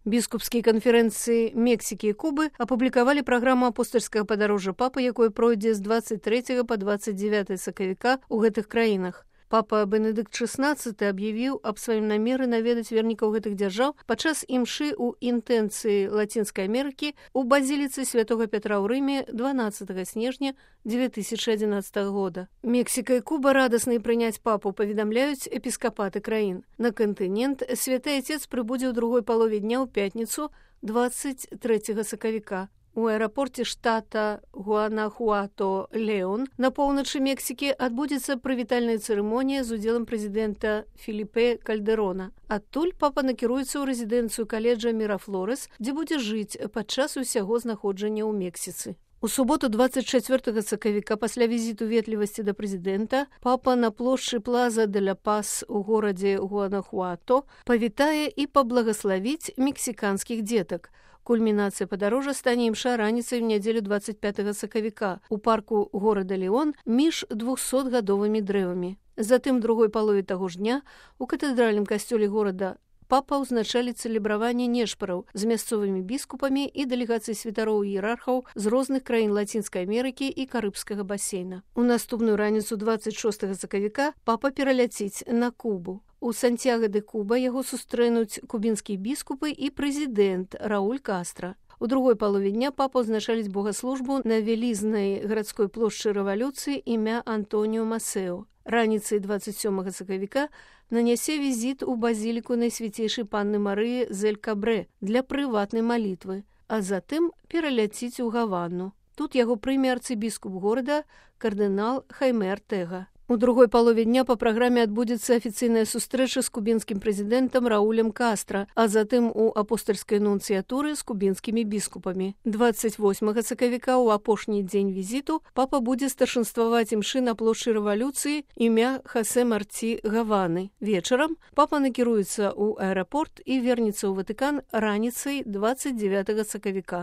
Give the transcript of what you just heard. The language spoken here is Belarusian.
Біскупскія канферэнцыі Мексікі і Кубы апублікавалі праграму апостальскага падарожжа папы, якое пройдзе з 23 па 29 сакавіка ў гэтых краінах. Папа Бенедыкт XVI аб'явіў аб сваім намеры наведаць вернікаў гэтых дзяржаў падчас імшы ў інтэнцыі Лацінскай Амерыкі ў базіліцы святога Пятра ў Рыме 12 снежня 2011 года. Мексіка і Куба радасна прыняць папу, паведамляюць эпіскапаты краін. На кантынент Святы Отец прыбудзе ў другой палове дня ў пятніцу 23 сакавіка. У аэрапорце штата Гуанахуато-Леон на поўначы Мексікі адбудзецца прывітальная цырымонія з удзелам прэзідэнта Феліпе Кальдэрона. Адтуль папа накіруецца ў рэзідэнцыю каледжа Мірафлорес, дзе будзе жыць падчас усяго знаходжання ў Мексіцы. У суботу 24 сакавіка пасля візіту ветлівасці да прэзідэнта папа на плошчы Плаза де ла Пас у горадзе Гуанахуато павітае і паблагаславіць мексіканскіх дзетак. Кульмінацыя падарожжа стане імша раніцай у нядзелю 25 сакавіка у парку горада Леон між 200гадовымі дрэвамі. Затым другой палове таго ж дня у катэдральным касцёле горада папа ўзначалі цэлебраванне нешпараў з мясцовымі біскупамі і дэлегацыяй святароў і іерархаў з розных краін Лацінскай Амерыкі і Карыбскага басейна. У наступную раніцу 26 сакавіка папа пераляціць на Кубу. У Сантьяго-де-Куба яго сустрэнуць кубінскія біскупы і прэзідэнт Рауль Кастра. У другой палове дня папа ўзначаліць богаслужбу на вялізнай гарадской плошчы рэвалюцыі імя Антоніо Масео. Раніцай 27 сакавіка нанясе візіт у базіліку Найсвяцейшай Панны Марыі з Эль-Кабрэ для прыватнай малітвы, а затым пераляціць у Гавану. Тут яго прыме арцыбіскуп горада кардынал Хайме Артега. У другой палове дня па праграме адбудзецца афіцыйная сустрэча з кубінскім прэзідэнтам Раулем Кастра, а затым у апостальскай нунцыятуры з кубінскімі біскупамі. 28 сакавіка ў апошні дзень візіту папа будзе старшынстваваць імшы на плошчы рэвалюцыі імя Хасе Марці Гаваны. Вечарам папа накіруецца ў аэрапорт і вернецца ў Ватыкан раніцай 29 сакавіка.